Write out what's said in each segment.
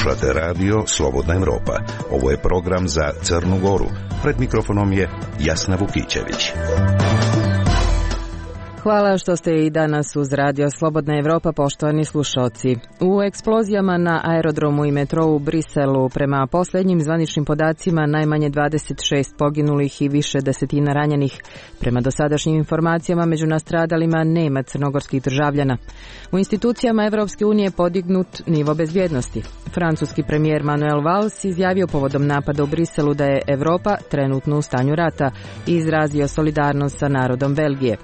Slušate radio Slobodna Evropa. Ovo je program za Crnu Goru. Pred mikrofonom je Jasna Vukićević. Hvala što ste i danas uz radio Slobodna Evropa, poštovani slušalci. U eksplozijama na aerodromu i metrou u Briselu, prema posljednjim zvaničnim podacima, najmanje 26 poginulih i više desetina ranjenih. Prema dosadašnjim informacijama, među nastradalima nema crnogorskih državljana. U institucijama Evropske unije podignut nivo bezbjednosti. Francuski premijer Manuel Valls izjavio povodom napada u Briselu da je Evropa trenutno u stanju rata i izrazio solidarnost sa narodom Belgije.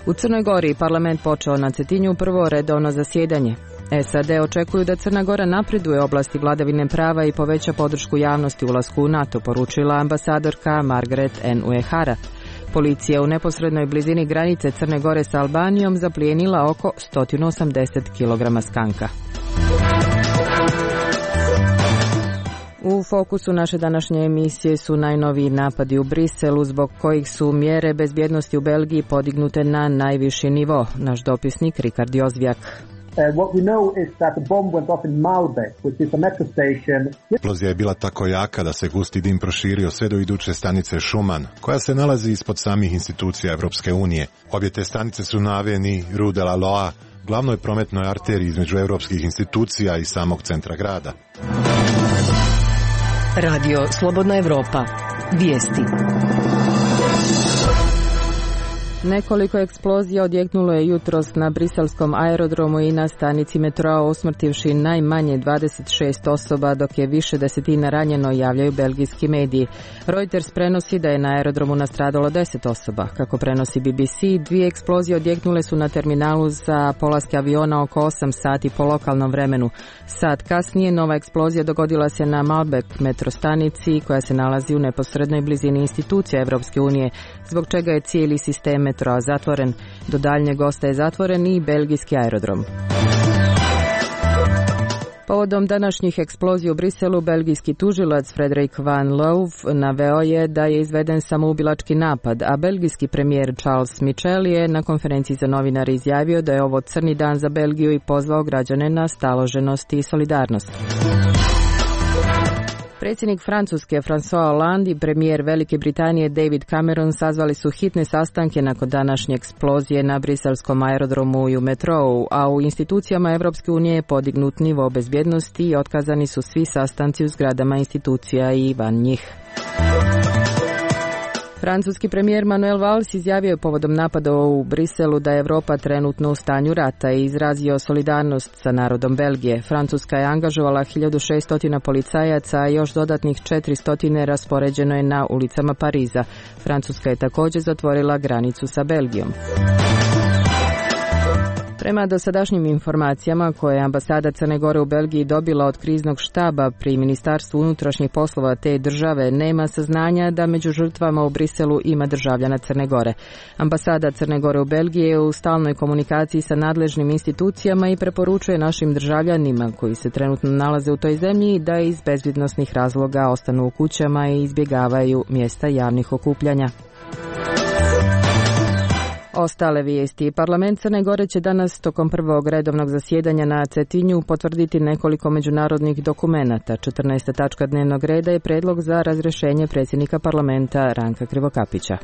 U Crnoj Gori parlament počeo na Cetinju prvo redovno zasjedanje. SAD očekuju da Crna Gora napreduje u oblasti vladavine prava i poveća podršku javnosti ulasku u NATO, poručila ambasadorka Margaret N. Uehara. Policija u neposrednoj blizini granice Crne Gore sa Albanijom zaplijenila oko 180 kg skanka. U fokusu naše današnje emisije su najnoviji napadi u Briselu, zbog kojih su mjere bezbjednosti u Belgiji podignute na najviši nivo. Naš dopisnik Rikard Jozvijak. Eksplozija je bila tako jaka da se gusti dim proširio sve do iduće stanice Schuman, koja se nalazi ispod samih institucija Evropske unije. Obje te stanice su na aveni Rue de la Loa, glavnoj prometnoj arteriji između europskih institucija i samog centra grada. Radio Slobodna Evropa. Vijesti. Nekoliko eksplozija odjeknulo je jutros na briselskom aerodromu i na stanici metroa, usmrtivši najmanje 26 osoba, dok je više desetina ranjeno, javljaju belgijski mediji. Reuters prenosi da je na aerodromu nastradalo 10 osoba. Kako prenosi BBC, dvije eksplozije odjeknule su na terminalu za polaske aviona oko 8 sati po lokalnom vremenu. Sat kasnije nova eksplozija dogodila se na Malbec metrostanici, koja se nalazi u neposrednoj blizini institucija Evropske unije, zbog čega je cijeli sistem metroa zatvoren. Do daljnjeg ostaje zatvoren i belgijski aerodrom. Povodom današnjih eksplozija u Briselu, belgijski tužilac Frederik Van Loof naveo je da je izveden samoubilački napad, a belgijski premijer Charles Michel je na konferenciji za novinare izjavio da je ovo crni dan za Belgiju i pozvao građane na staloženost i solidarnost. Predsjednik Francuske François Hollande i premijer Velike Britanije David Cameron sazvali su hitne sastanke nakon današnje eksplozije na briselskom aerodromu i u metrou, a u institucijama Evropske unije je podignut nivo bezbjednosti i otkazani su svi sastanci u zgradama institucija i van njih. Francuski premijer Manuel Valls izjavio je povodom napada u Briselu da je Evropa trenutno u stanju rata i izrazio solidarnost sa narodom Belgije. Francuska je angažovala 1600 policajaca, a još dodatnih 400 raspoređeno je na ulicama Pariza. Francuska je također zatvorila granicu sa Belgijom. Prema dosadašnjim informacijama koje je ambasada Crne Gore u Belgiji dobila od kriznog štaba pri Ministarstvu unutrašnjih poslova te države, nema saznanja da među žrtvama u Briselu ima državljana Crne Gore. Ambasada Crne Gore u Belgiji je u stalnoj komunikaciji sa nadležnim institucijama i preporučuje našim državljanima koji se trenutno nalaze u toj zemlji da iz bezbjednosnih razloga ostanu u kućama i izbjegavaju mjesta javnih okupljanja. Ostale vijesti. Parlament Crne Gore će danas tokom prvog redovnog zasjedanja na Cetinju potvrditi nekoliko međunarodnih dokumenata. 14. tačka dnevnog reda je predlog za razrješenje predsjednika parlamenta Ranka Krivokapića.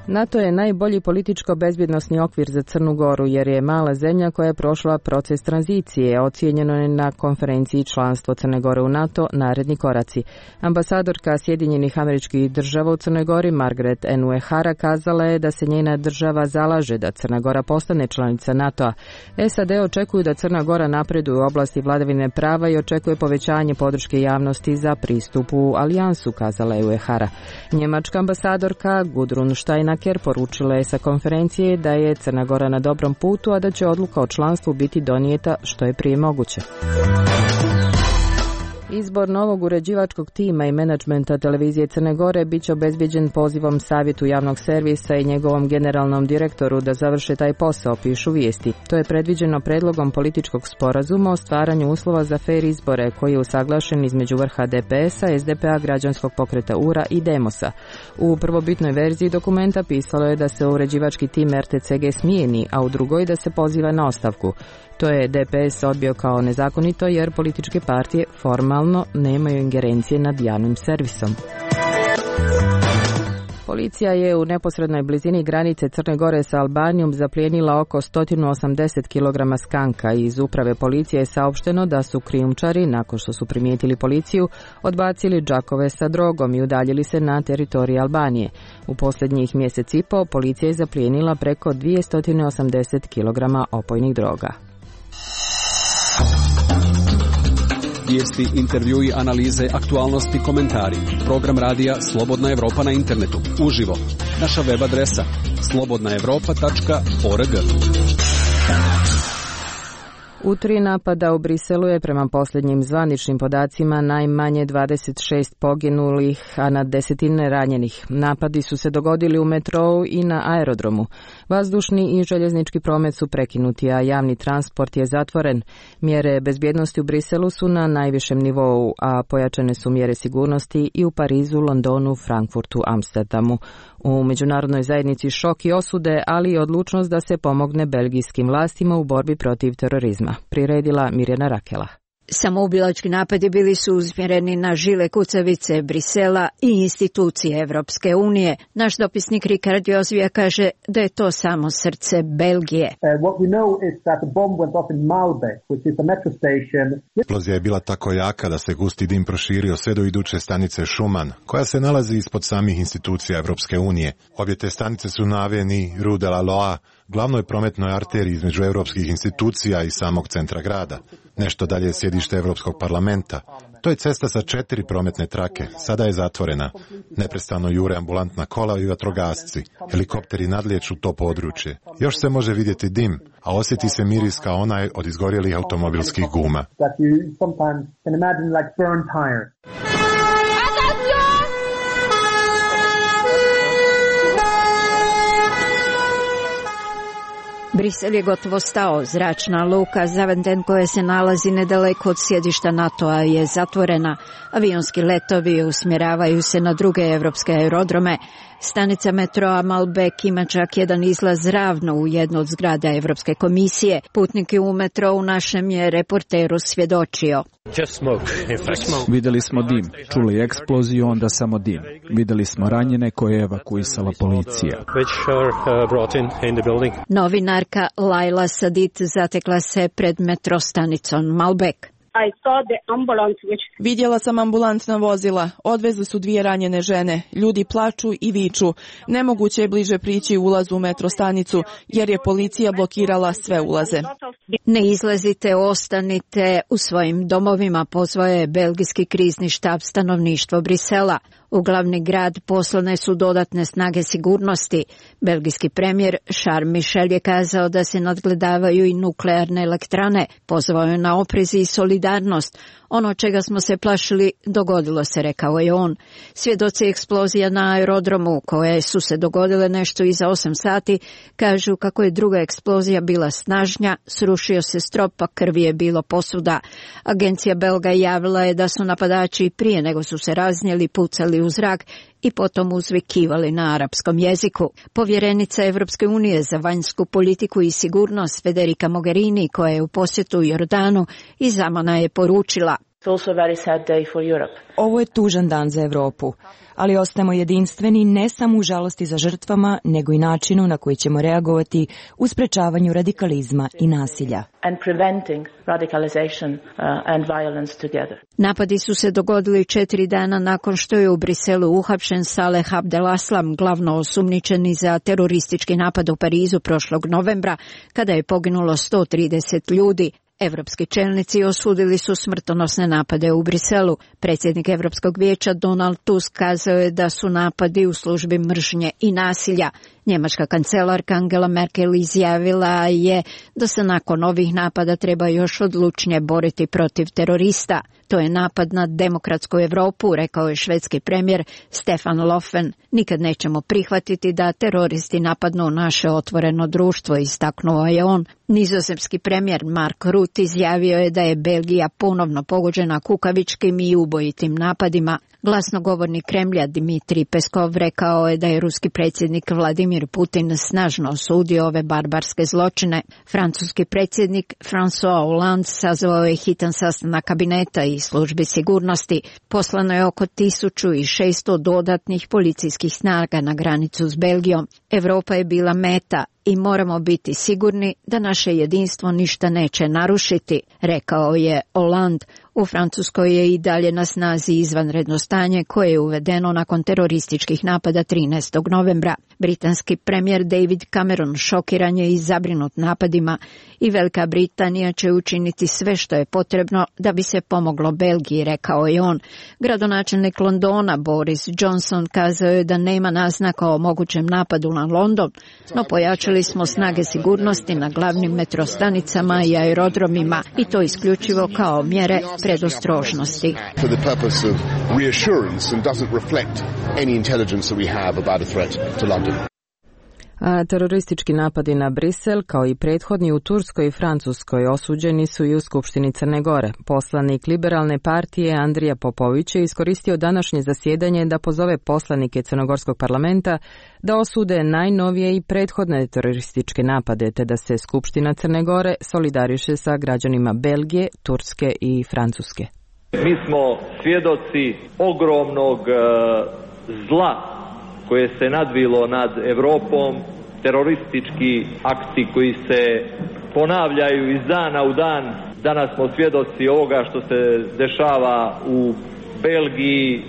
NATO je najbolji političko-bezbjednosni okvir za Crnu Goru jer je mala zemlja koja je prošla proces tranzicije. Ocijenjeno je na konferenciji članstvo Crne Gore u NATO naredni koraci. Ambasadorka Sjedinjenih Američkih Država u Crnoj Gori Margaret N. Uehara kazala je da se njena država zalaže da Crna Gora postane članica NATO-a. SAD očekuju da Crna Gora napreduje u oblasti vladavine prava i očekuje povećanje podrške javnosti za pristup u alijansu, kazala je Uehara. Njemačka ambasadorka Gudrun Steiner poručila je sa konferencije da je Crna Gora na dobrom putu, a da će odluka o članstvu biti donijeta što je prije moguće. Izbor novog uređivačkog tima i menadžmenta televizije Crne Gore bit će obezbijeđen pozivom Savjetu javnog servisa i njegovom generalnom direktoru da završe taj posao, pišu vijesti. To je predviđeno predlogom političkog sporazuma o stvaranju uslova za fer izbore koji je usaglašen između vrha DPS-a, SDP-a, građanskog pokreta URA i Demosa. U prvobitnoj verziji dokumenta pisalo je da se uređivački tim RTCG smijeni, a u drugoj da se poziva na ostavku. To je DPS odbio kao nezakonito jer političke partije formalno nemaju ingerencije nad javnim servisom. Policija je u neposrednoj blizini granice Crne Gore sa Albanijom zaplijenila oko 180 kg skanka i iz uprave policije je saopšteno da su krijumčari, nakon što su primijetili policiju, odbacili džakove sa drogom i udaljili se na teritoriju Albanije. U posljednjih mjesec i po policija je zaplijenila preko 280 kg opojnih droga. Vijesti, intervjui, analize, aktualnosti, komentari. Program radija Slobodna Evropa na internetu. Uživo. Naša web adresa slobodnaevropa.org. U 3 napada u Briselu je prema posljednjim zvaničnim podacima najmanje 26 poginulih, a na desetine ranjenih. Napadi su se dogodili u metrou i na aerodromu. Vazdušni i željeznički promet su prekinuti, a javni transport je zatvoren. Mjere bezbjednosti u Briselu su na najvišem nivou, a pojačane su mjere sigurnosti i u Parizu, Londonu, Frankfurtu, Amsterdamu. U međunarodnoj zajednici šok i osude, ali i odlučnost da se pomogne belgijskim vlastima u borbi protiv terorizma. Priredila Mirjana Rakela. Samoubilački napadi bili su usmjereni na žile kucavice Brisela i institucije Evropske unije. Naš dopisnik Rikard Jozvija kaže da je to samo srce Belgije. Eksplozija je bila tako jaka da se gusti dim proširio sve do iduće stanice Schuman, koja se nalazi ispod samih institucija Evropske unije. Obje te stanice su na aveni Rue de la Loa, glavnoj prometnoj arteriji između europskih institucija i samog centra grada. Nešto dalje je sjedište Europskog parlamenta. To je cesta sa 4 prometne trake. Sada je zatvorena. Neprestano jure ambulantna kola i vatrogasci. Helikopteri nadlijeću to područje. Još se može vidjeti dim, a osjeti se miris kao onaj od izgorjelih automobilskih guma. Brisel je gotovo stao. Zračna luka Zaventem koja se nalazi nedaleko od sjedišta NATO-a je zatvorena. Avionski letovi usmjeravaju se na druge evropske aerodrome. Stanica metroa Malbec ima čak jedan izlaz ravno u jednu od zgrada Evropske komisije. Putnike u metrou našem je reporteru svjedočio. Vidjeli smo dim, čuli eksploziju, onda samo dim. Vidjeli smo ranjene koje je evakuisala policija. Novinarka Laila Sadit zatekla se pred metrostanicom Malbec. Vidjela sam ambulantna vozila. Odvezli su 2 ranjene žene. Ljudi plaču i viču. Nemoguće je bliže prići ulazu u metrostanicu jer je policija blokirala sve ulaze. Ne izlazite, ostanite u svojim domovima, pozvao je belgijski krizni štab stanovništvo Brisela. U glavni grad poslane su dodatne snage sigurnosti. Belgijski premijer Charles Michel je kazao da se nadgledavaju i nuklearne elektrane. Pozvao je na oprez i solidarnost. Ono čega smo se plašili dogodilo se, rekao je on. Svjedoci eksplozija na aerodromu, koje su se dogodile nešto iza 8 sati, kažu kako je druga eksplozija bila snažnija, srušio se strop, a krvi je bilo posuda. Agencija Belga javila je da su napadači prije nego su se raznijeli pucali u zrak i potom uzvikivali na arapskom jeziku. Povjerenica Evropske unije za vanjsku politiku i sigurnost Federica Mogherini, koja je u posjetu Jordanu, iz Amana je poručila: Ovo je tužan dan za Europu, ali ostajemo jedinstveni ne samo u žalosti za žrtvama, nego i načinu na koji ćemo reagovati u sprečavanju radikalizma i nasilja. Napadi su se dogodili 4 dana nakon što je u Briselu uhapšen Saleh Abdelaslam, glavno osumnjičeni za teroristički napad u Parizu prošlog novembra, kada je poginulo 130 ljudi. Evropski čelnici osudili su smrtonosne napade u Briselu. Predsjednik Europskog vijeća Donald Tusk kazao je da su napadi u službi mržnje i nasilja. Njemačka kancelarka Angela Merkel izjavila je da se nakon ovih napada treba još odlučnije boriti protiv terorista. To je napad na demokratsku Europu, rekao je švedski premijer Stefan Löfven. Nikad nećemo prihvatiti da teroristi napadnu naše otvoreno društvo, istaknuo je on. Nizozemski premijer Mark Rutte izjavio je da je Belgija ponovno pogođena kukavičkim i ubojitim napadima. Glasnogovornik Kremlja Dmitrij Peskov rekao je da je ruski predsjednik Vladimir Vladimir Putin snažno osudio ove barbarske zločine. Francuski predsjednik François Hollande sazvao je hitan sastanak kabineta i službi sigurnosti. Poslano je oko 1600 dodatnih policijskih snaga na granicu s Belgijom. Evropa je bila meta i moramo biti sigurni da naše jedinstvo ništa neće narušiti, rekao je Hollande. U Francuskoj je i dalje na snazi izvanredno stanje koje je uvedeno nakon terorističkih napada 13. novembra. Britanski premijer David Cameron šokiran je i zabrinut napadima i Velika Britanija će učiniti sve što je potrebno da bi se pomoglo Belgiji, rekao je on. Gradonačelnik Londona Boris Johnson kazao je da nema naznaka o mogućem napadu na London, no pojačali smo snage sigurnosti na glavnim metrostanicama i aerodromima i to isključivo kao mjere predostrožnosti. A teroristički napadi na Brisel, kao i prethodni u Turskoj i Francuskoj, osuđeni su i u Skupštini Crne Gore. Poslanik Liberalne partije Andrija Popović je iskoristio današnje zasjedanje da pozove poslanike Crnogorskog parlamenta da osude najnovije i prethodne terorističke napade, te da se Skupština Crne Gore solidariše sa građanima Belgije, Turske i Francuske. Mi smo svjedoci ogromnog zla koje se nadvilo nad Europom, teroristički akti koji se ponavljaju iz dana u dan. Danas smo svjedoci ovoga što se dešava u Belgiji,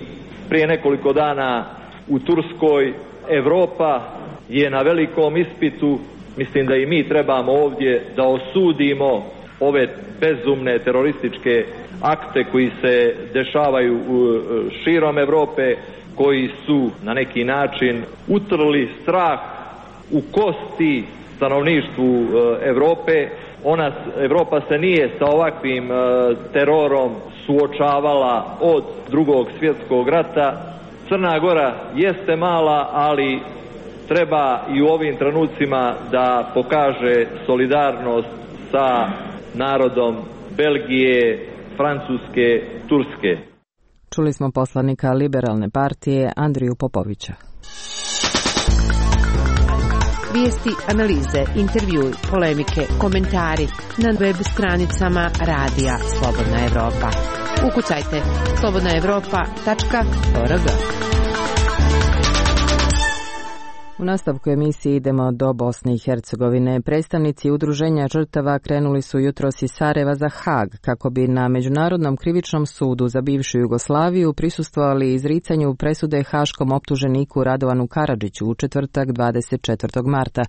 prije nekoliko dana u Turskoj. Europa je na velikom ispitu. Mislim da i mi trebamo ovdje da osudimo ove bezumne terorističke akte koji se dešavaju širom Europe, koji su na neki način utrli strah u kosti stanovništvu Europe. Europa se nije sa ovakvim terorom suočavala od Drugog svjetskog rata. Crna Gora jeste mala, ali treba i u ovim trenucima da pokaže solidarnost sa narodom Belgije, Francuske, Turske. Čuli smo poslanika Liberalne partije Andriju Popovića. Vijesti, analize, intervjui, polemike, komentari na web stranicama Radija Slobodna Evropa. Ukucajte slobodnaevropa.org. U nastavku emisije idemo do Bosne i Hercegovine. Predstavnici udruženja žrtava krenuli su jutros iz Sarajeva za Hag kako bi na Međunarodnom krivičnom sudu za bivšu Jugoslaviju prisustvovali izricanju presude haškom optuženiku Radovanu Karadžiću u četvrtak 24. marta.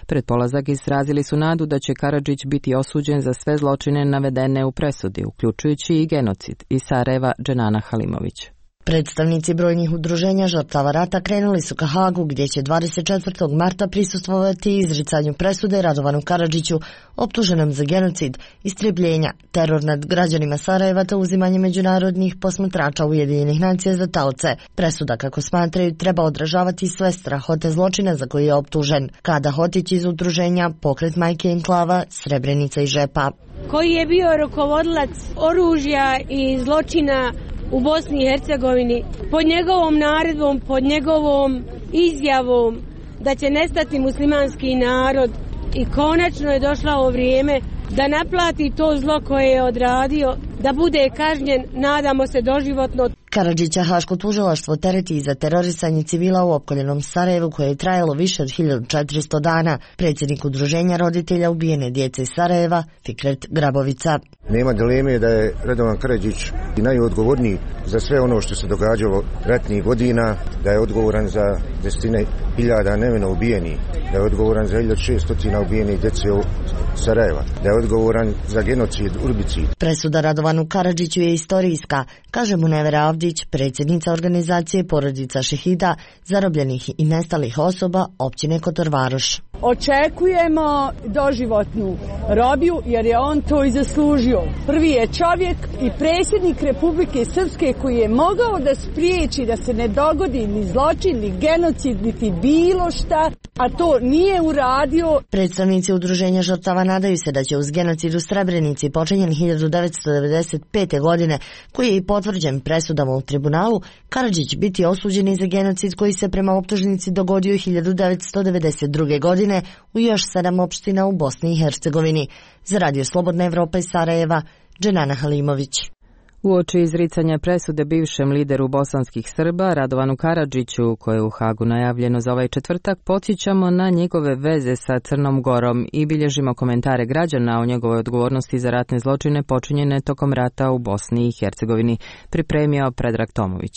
Pred polazak izrazili su nadu da će Karadžić biti osuđen za sve zločine navedene u presudi, uključujući i genocid. Iz Sarajeva Dženana Halimović. Predstavnici brojnih udruženja žrtava rata krenuli su ka Hagu gdje će 24. marta prisustvovati izricanju presude Radovanu Karadžiću optuženom za genocid, istrebljenja, teror nad građanima Sarajeva te uzimanje međunarodnih posmatrača Ujedinjenih nacija za taoce. Presuda, kako smatraju, treba odražavati sve strahote zločina za koji je optužen. Kada Hotić iz udruženja Pokret majke enklava Srebrenica i Žepa, koji je bio rukovodilac oružja i zločina u Bosni i Hercegovini, pod njegovom naredbom, pod njegovom izjavom da će nestati muslimanski narod i konačno je došlo vrijeme da naplati to zlo koje je odradio, da bude kažnjen, nadamo se doživotno. Karadžića haško tužilaštvo tereti za terorisanje civila u opkoljenom Sarajevu koje je trajalo više od 1400 dana. Predsjednik udruženja roditelja ubijene djece iz Sarajeva, Fikret Grabovica. Nema dileme da je Radovan Karadžić najodgovorniji za sve ono što se događalo ratnih godina, da je odgovoran za desetine hiljada nevino ubijenih, da je odgovoran za 1600 ubijenih djece u Sarajeva, da je odgovoran za genocid Urbicid. Presuda Radovanu Karadžiću je istorijska, kaže Munevera Avdić, predsjednica organizacije Porodica šehida, zarobljenih i nestalih osoba općine Kotorvaroš. Očekujemo doživotnu robiju jer je on to i zaslužio. Prvi je čovjek i predsjednik Republike Srpske koji je mogao da spriječi da se ne dogodi ni zločin, ni genocid, niti bilo šta. a to nije uradio. Predstavnici udruženja žrtava nadaju se da će uz genocid u Srebrenici počinjen 1995. godine, koji je i potvrđen presudama u tribunalu, Karadžić biti osuđen i za genocid koji se prema optužnici dogodio 1992. godine u još 7 opština u Bosni i Hercegovini. Za Radio Slobodna Evropa iz Sarajeva, Dženana Halimović. Uoči izricanja presude bivšem lideru bosanskih Srba, Radovanu Karadžiću, koje je u Hagu najavljeno za ovaj četvrtak, podsjećamo na njegove veze sa Crnom Gorom i bilježimo komentare građana o njegovoj odgovornosti za ratne zločine počinjene tokom rata u Bosni i Hercegovini, pripremio Predrag Tomović.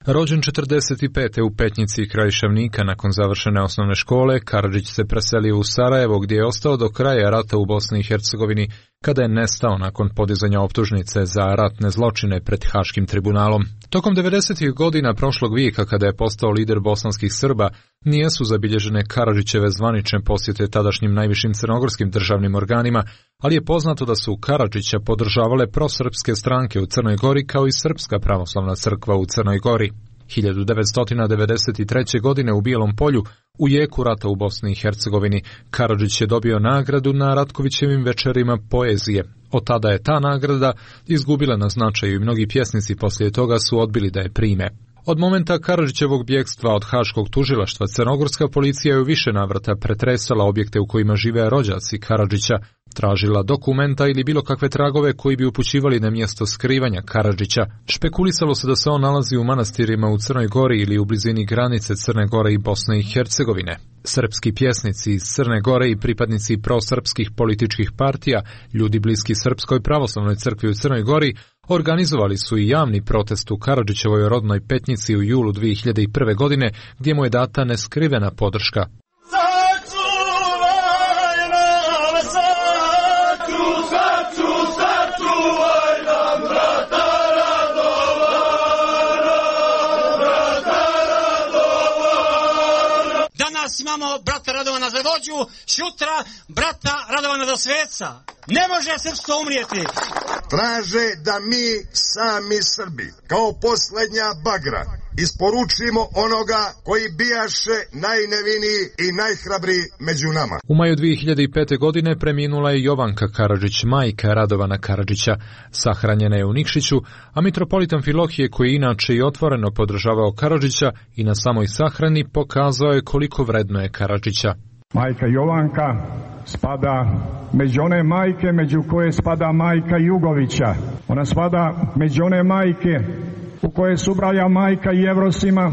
Rođen 45. u Petnici kraj Šavnika nakon završene osnovne škole, Karadžić se preselio u Sarajevo gdje je ostao do kraja rata u Bosni i Hercegovini, kada je nestao nakon podizanja optužnice za ratne zločine pred Haškim tribunalom. Tokom 90. godina prošlog vijeka, kada je postao lider bosanskih Srba, nijesu zabilježene Karadžićeve zvanične posjete tadašnjim najvišim crnogorskim državnim organima, ali je poznato da su Karadžića podržavale prosrpske stranke u Crnoj Gori kao i Srpska pravoslavna crkva u Crnoj Gori. 1993. godine u Bijelom Polju, u jeku rata u Bosni i Hercegovini, Karadžić je dobio nagradu na Ratkovićevim večerima poezije. Od tada je ta nagrada izgubila na značaju i mnogi pjesnici poslije toga su odbili da je prime. Od momenta Karadžićevog bjegstva od Haškog tužilaštva, crnogorska policija je u više navrata pretresala objekte u kojima žive rođaci Karadžića, tražila dokumenta ili bilo kakve tragove koji bi upućivali na mjesto skrivanja Karadžića. Špekulisalo se da se on nalazi u manastirima u Crnoj Gori ili u blizini granice Crne Gore i Bosne i Hercegovine. Srpski pjesnici iz Crne Gore i pripadnici prosrpskih političkih partija, ljudi bliski Srpskoj pravoslavnoj crkvi u Crnoj Gori, organizovali su i javni protest u Karadžićevoj rodnoj Petnici u julu 2001. godine, gdje mu je data neskrivena podrška. Danas imamo brata Radovana za vođu, sutra brata Radovana za sveca. Ne može srpstvo umrijeti. Traže da mi sami Srbi, kao posljednja bagra, isporučimo onoga koji bijaše najneviniji i najhrabriji među nama. U maju 2005. godine preminula je Jovanka Karadžić, majka Radovana Karadžića. Sahranjena je u Nikšiću, a mitropolitan Filohije, koji inače i otvoreno podržavao Karadžića i na samoj sahrani pokazao je koliko vredno je Karadžića. Majka Jovanka spada među one majke među koje spada majka Jugovića. Ona spada među one majke u koje se ubraja majka Jevrosima.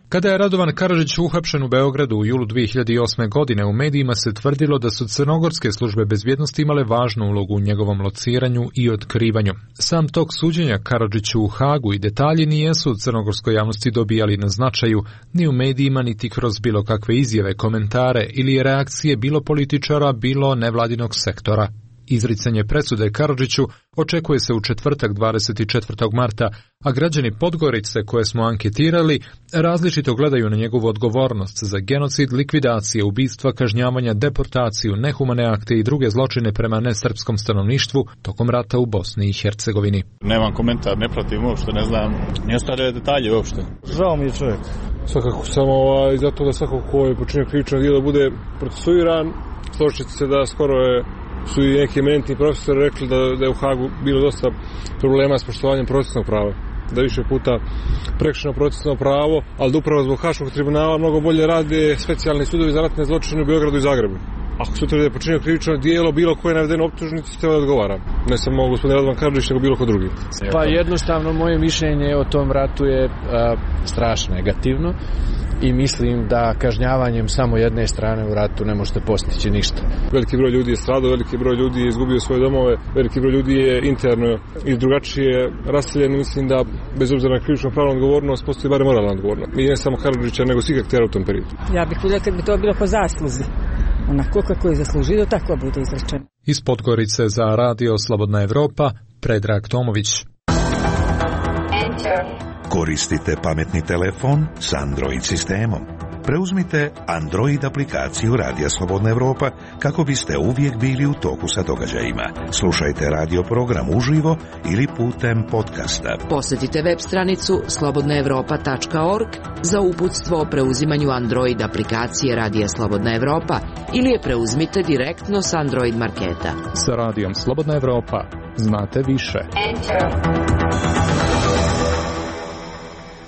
Kada je Radovan Karadžić uhapšen u Beogradu u julu 2008. godine, u medijima se tvrdilo da su crnogorske službe bezbjednosti imale važnu ulogu u njegovom lociranju i otkrivanju. Sam tok suđenja Karadžiću u Hagu i detalji nijesu u crnogorskoj javnosti dobijali na značaju, ni u medijima, niti kroz bilo kakve izjave, komentare ili reakcije bilo političara, bilo nevladinog sektora. Izricanje presude Karadžiću očekuje se u četvrtak 24. marta, a građani Podgorice koje smo anketirali različito gledaju na njegovu odgovornost za genocid, likvidacije, ubistva, kažnjavanja, deportaciju, nehumane akte i druge zločine prema nesrpskom stanovništvu tokom rata u Bosni i Hercegovini. Nemam komentar, ne pratim uopšte, ne znam ni ostale detalje uopšte. Žao mi je čovjek. Svakako samo zato da svako ko je počinio krivično djelo bude procesuiran. Složite se da skoro su i neki eminentni profesori rekli da je u Hagu bilo dosta problema s poštovanjem procesnog prava. Da više puta prekršeno procesno pravo, ali da upravo zbog Haškog tribunala mnogo bolje rade specijalni sudovi za ratne zločine u Beogradu i Zagrebu. Ako se utvrdi da je počinio krivično djelo, bilo koje navedeno optužnici, treba da odgovara. Ne samo gospodin Radovan Karadžić, nego bilo ko drugi. Pa jednostavno moje mišljenje o tom ratu je strašno negativno i mislim da kažnjavanjem samo jedne strane u ratu ne možete postići ništa. Veliki broj ljudi je stradao, veliki broj ljudi je izgubio svoje domove, veliki broj ljudi je interno i drugačije raseljen. Mislim da bez obzira na krivično pravnu odgovornost postoji bar moralna odgovornost. I ne samo Karadžića, nego svih aktera u tom periodu. Ja bih voljela kad bi to bilo po zasluzi. Onako kako je zaslužio, tako bude izrečeno. Iz Podgorice za Radio Slobodna Evropa, Predrag Tomović. Koristite pametni telefon s Android sistemom. Preuzmite Android aplikaciju Radija Slobodna Evropa kako biste uvijek bili u toku sa događajima. Slušajte radio program uživo ili putem podcasta. Posjetite web stranicu slobodnaevropa.org za uputstvo o preuzimanju Android aplikacije Radija Slobodna Evropa ili je preuzmite direktno s Android marketa. Sa Radijom Slobodna Evropa znate više.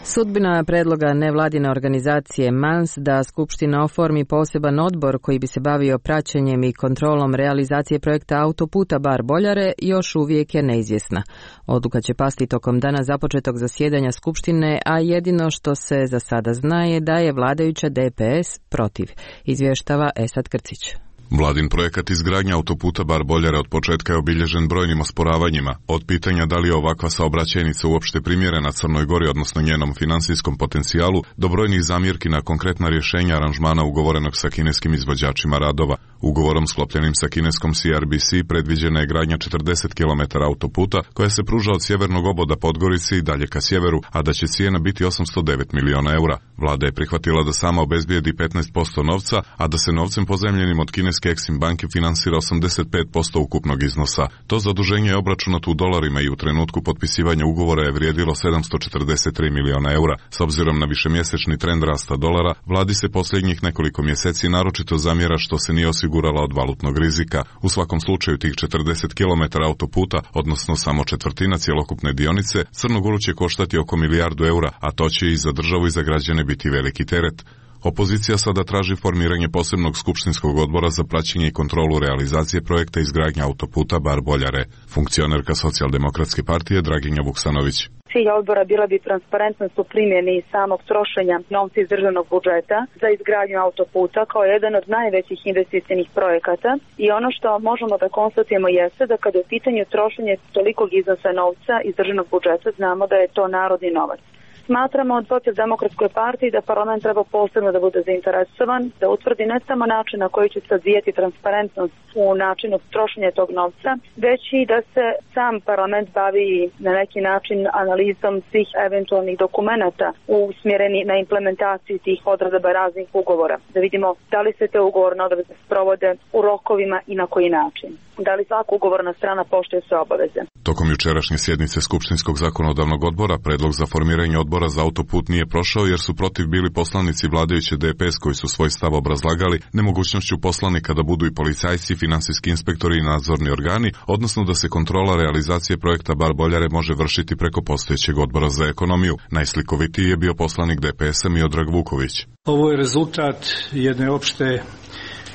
Sudbina predloga nevladine organizacije MANS da Skupština oformi poseban odbor koji bi se bavio praćenjem i kontrolom realizacije projekta autoputa Bar-Boljare još uvijek je neizvjesna. Odluka će pasti tokom dana započetog zasjedanja Skupštine, a jedino što se za sada zna je da je vladajuća DPS protiv, izvještava Esad Krcić. Vladin projekat izgradnja autoputa Bar-Boljare od početka je obilježen brojnim osporavanjima, od pitanja da li je ovakva saobraćajnica uopšte primjerena Crnoj Gori, odnosno njenom finansijskom potencijalu, do brojnih zamjerki na konkretna rješenja aranžmana ugovorenog sa kineskim izvođačima radova. Ugovorom sklopljenim sa kineskom CRBC predviđena je gradnja 40 km autoputa koja se pruža od sjevernog oboda Podgorice i dalje ka sjeveru, a da će cijena biti 809 miliona eura. Vlada je prihvatila da sama obezbijedi 15% novca, a da se novcem pozajmljenim od kineske Exim banke finansira 85% ukupnog iznosa. To zaduženje je obračunato u dolarima i u trenutku potpisivanja ugovora je vrijedilo 743 miliona eura. S obzirom na višemjesečni trend rasta dolara, vladi se posljednjih nekoliko mjeseci naročito zamjera što se nije osigurala od valutnog rizika. U svakom slučaju tih 40 km autoputa, odnosno samo četvrtina cjelokupne dionice, Crnu Goru će koštati oko milijardu eura, a to će i za državu i za građane biti veliki teret. Opozicija sada traži formiranje posebnog skupštinskog odbora za praćenje i kontrolu realizacije projekta izgradnja autoputa Bar-Boljare. Funkcionerka Socijaldemokratske partije Draginja Vuksanović. Cilj odbora bila bi transparentnost u primjeni samog trošenja novca iz državnog budžeta za izgradnju autoputa kao jedan od najvećih investicijnih projekata i ono što možemo da konstatujemo jeste da kada je u pitanju trošenje tolikog iznosa novca iz državnog budžeta znamo da je to narodni novac. Smatramo od Socijaldemokratskoj partiji da parlament treba posebno da bude zainteresovan, da utvrdi ne samo način na koji će se odvijati transparentnost u načinu trošenja tog novca, već i da se sam parlament bavi na neki način analizom svih eventualnih dokumenata usmjereni na implementaciju tih odredaba raznih ugovora. Da vidimo da li se te ugovorne odredbe sprovode u rokovima i na koji način. Da li svaka ugovorna strana poštuje sve obaveze. Tokom jučerašnje sjednice Skupštinskog zakonodavnog odbora predlog za formiranje odbora za autoput nije prošao jer su protiv bili poslanici vladajuće DPS koji su svoj stav obrazlagali nemogućnošću poslanika da budu i policajci, financijski inspektori i nadzorni organi, odnosno da se kontrola realizacije projekta Bar-Boljare može vršiti preko postojećeg odbora za ekonomiju. Najslikovitiji je bio poslanik DPS-a Miodrag Vuković. Ovo je rezultat jedne opšte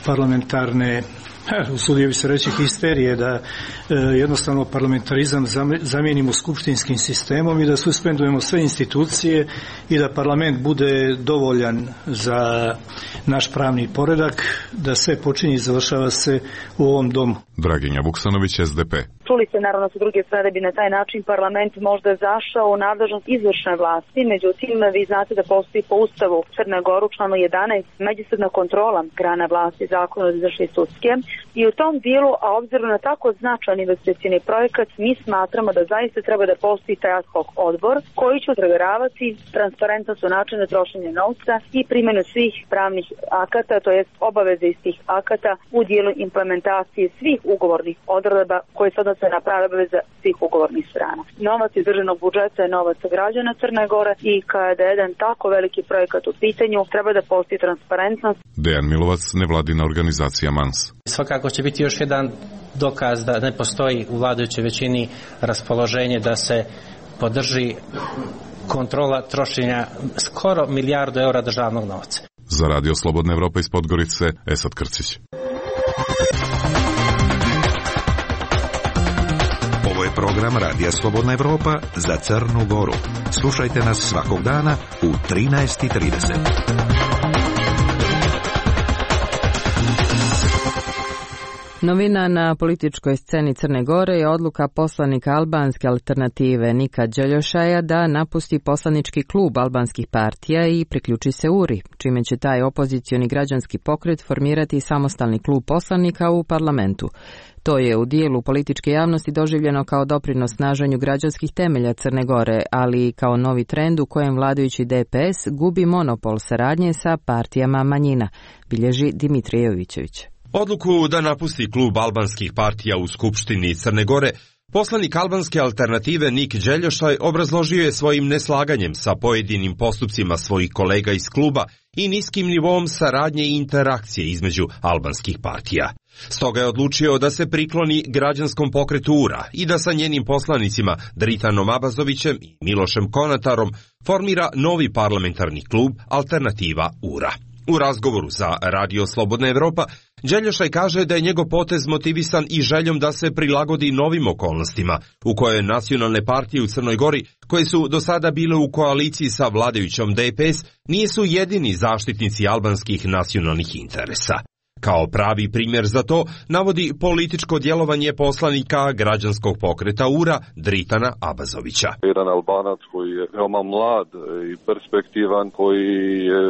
parlamentarne, usudio bi se reći, histerije, da jednostavno parlamentarizam zamijenimo skupštinskim sistemom i da suspendujemo sve institucije i da parlament bude dovoljan za naš pravni poredak, da sve počinje i završava se u ovom domu. Draginja Vuksanović, SDP. Čuli se naravno sa druge strane bi na taj način parlament možda zašao u nadležnost izvršne vlasti, međutim vi znate da postoji po Ustavu Crne Goru članu 11 međusobna kontrola grana vlasti, zakona od izvršne i sudske i u tom dijelu, a obzirom na tako značajan investicioni projekat, mi smatramo da zaista treba da postoji taj ad hoc odbor koji će provjeravati transparentnost u načinu trošenja novca i primjenu svih pravnih akata, to jest obaveze iz tih akata u dijelu implementacije svih ugovornih odredaba koje se odnose na prave obaveze svih ugovornih strana. Novac iz državnog budžeta je novac građana Crne Gore i kada je jedan tako veliki projekat u pitanju, treba da postoji transparentnost. Dejan Milovac, nevladina organizacija MANS. Svakako će biti još jedan dokaz da ne postoji u vladajućoj većini raspoloženje da se podrži kontrola trošenja skoro milijardu eura državnog novca. Za Radio Slobodna Evropa iz Podgorice, Esad Krcić. Ovo je program Radija Slobodna Evropa za Crnu Goru. Slušajte nas svakog dana u 13:30. Novina na političkoj sceni Crne Gore je odluka poslanika albanske alternative Nika Đeljošaja da napusti poslanički klub albanskih partija i priključi se URI, čime će taj opozicioni građanski pokret formirati samostalni klub poslanika u parlamentu. To je u dijelu političke javnosti doživljeno kao doprinos snaženju građanskih temelja Crne Gore, ali i kao novi trend u kojem vladajući DPS gubi monopol saradnje sa partijama manjina, bilježi Dimitrije Jovićević. Odluku da napusti klub albanskih partija u Skupštini Crne Gore, poslanik albanske alternative Nik Đeljošaj obrazložio je svojim neslaganjem sa pojedinim postupcima svojih kolega iz kluba i niskim nivom saradnje i interakcije između albanskih partija. Stoga je odlučio da se prikloni građanskom pokretu URA i da sa njenim poslanicima Dritanom Abazovićem i Milošem Konatarom formira novi parlamentarni klub Alternativa URA. U razgovoru za Radio Slobodna Evropa, Đeljošaj kaže da je njegov potez motivisan i željom da se prilagodi novim okolnostima, u kojoj nacionalne partije u Crnoj Gori, koje su do sada bile u koaliciji sa vladajućom DPS, nisu jedini zaštitnici albanskih nacionalnih interesa. Kao pravi primjer za to navodi političko djelovanje poslanika građanskog pokreta URA Dritana Abazovića. Jedan Albanac koji je veoma mlad i perspektivan, koji je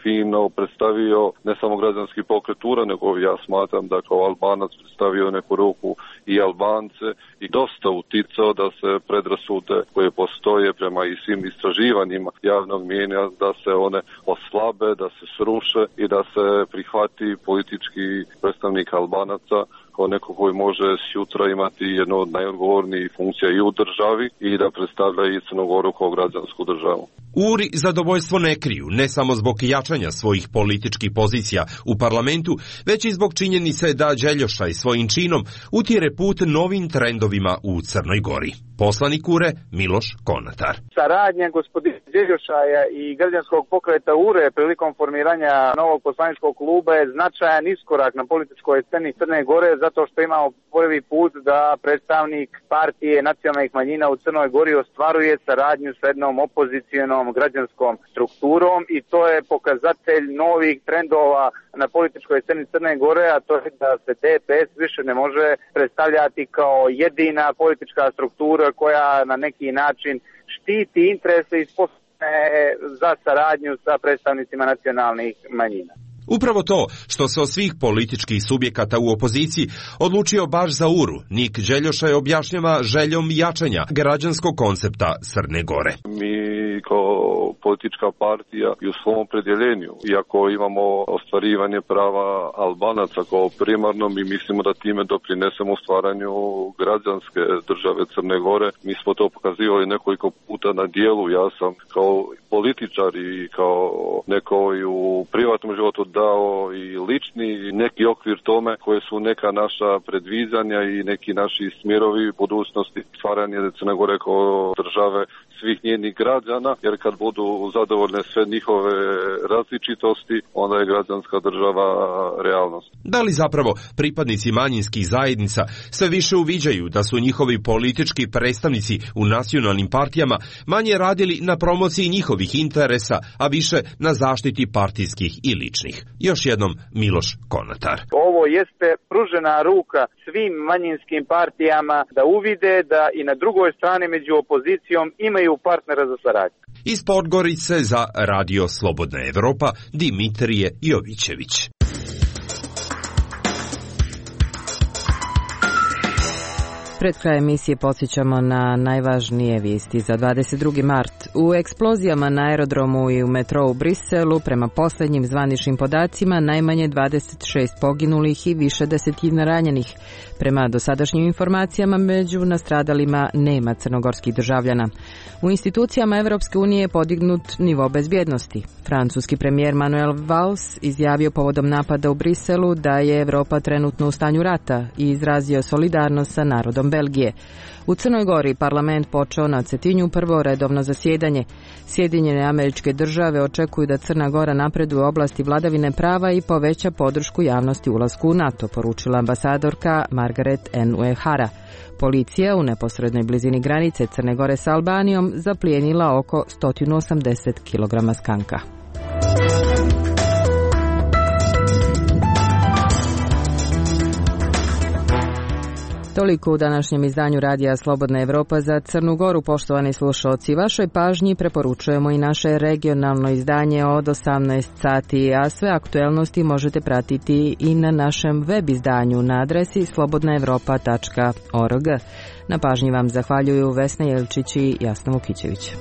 fino predstavio ne samo građanski pokret URA, nego ja smatram da kao Albanac predstavio neku ruku i Albance i dosta uticao da se predrasude koje postoje prema i svim istraživanjima javnog mnijenja da se one oslabe, da se sruše i da se prihvati politički predstavnik Albanaca kao neko koji može sutra imati jednu od najodgovornijih funkcija i u državi i da predstavlja i Crnu Goru kao građansku državu. URI zadovoljstvo ne kriju, ne samo zbog jačanja svojih političkih pozicija u parlamentu, već i zbog činjenice da Đeljošaj svojim činom utire put novim trendovima u Crnoj Gori. Poslanik URE Miloš Konatar. Saradnja gospodina Đeljošaja i građanskog pokreta URE prilikom formiranja novog poslaničkog kluba je značajan iskorak na političkoj sceni Crne Gore, zato što imamo prvi put da predstavnik partije nacionalnih manjina u Crnoj Gori ostvaruje saradnju sa jednom opozicijonom građanskom strukturom i to je pokazatelj novih trendova na političkoj sceni Crne Gore, a to je da se DPS više ne može predstavljati kao jedina politička struktura koja na neki način štiti interese i sposobne za saradnju sa predstavnicima nacionalnih manjina. Upravo to što se od svih političkih subjekata u opoziciji odlučio baš za URU, Nik Đeljošaj objašnjava željom jačanja građanskog koncepta Crne Gore. Mi kao politička partija i u svom opredjeljenju, iako imamo ostvarivanje prava Albanaca kao primarno, mi mislimo da time doprinesemo stvaranju građanske države Crne Gore. Mi smo to pokazivali nekoliko puta na dijelu. Ja sam kao političar i kao neko i u privatnom životu dao i lični i neki okvir tome koje su neka naša predviđanja i neki naši smjerovi budućnosti stvaranje Crne Gore kao države svih njenih građana, jer kad budu zadovoljne sve njihove različitosti, onda je građanska država realnost. Da li zapravo pripadnici manjinskih zajednica sve više uviđaju da su njihovi politički predstavnici u nacionalnim partijama manje radili na promociji njihovih interesa, a više na zaštiti partijskih i ličnih? Još jednom Miloš Konatar. Ovo jeste pružena ruka svim manjinskim partijama da uvide da i na drugoj strani među opozicijom imaju partnera za saradnju. Iz Podgorice za Radio Slobodna Evropa Dimitrije Jovićević. Pred kraj emisije podsjećamo na najvažnije vijesti za 22. mart. U eksplozijama na aerodromu i u metrou u Briselu, prema posljednjim zvaničnim podacima, najmanje 26 poginulih i više desetina ranjenih. Prema dosadašnjim informacijama, među nastradalima nema crnogorskih državljana. U institucijama Evropske unije je podignut nivo bezbjednosti. Francuski premijer Manuel Valls izjavio povodom napada u Briselu da je Evropa trenutno u stanju rata i izrazio solidarnost sa narodom Belgije. U Crnoj Gori parlament počeo na Cetinju prvo redovno zasjedanje. Sjedinjene Američke Države očekuju da Crna Gora napreduje u oblasti vladavine prava i poveća podršku javnosti ulasku u NATO, poručila ambasadorka Margaret N. Uehara. Policija u neposrednoj blizini granice Crne Gore sa Albanijom zaplijenila oko 180 kg skanka. Toliko u današnjem izdanju Radija Slobodna Evropa za Crnu Goru, poštovani slušalci. Vašoj pažnji preporučujemo i naše regionalno izdanje od 18 sati, a sve aktuelnosti možete pratiti i na našem web izdanju na adresi slobodnaevropa.org. Na pažnji vam zahvaljuju Vesna Jelčić i Jasna Vukićević.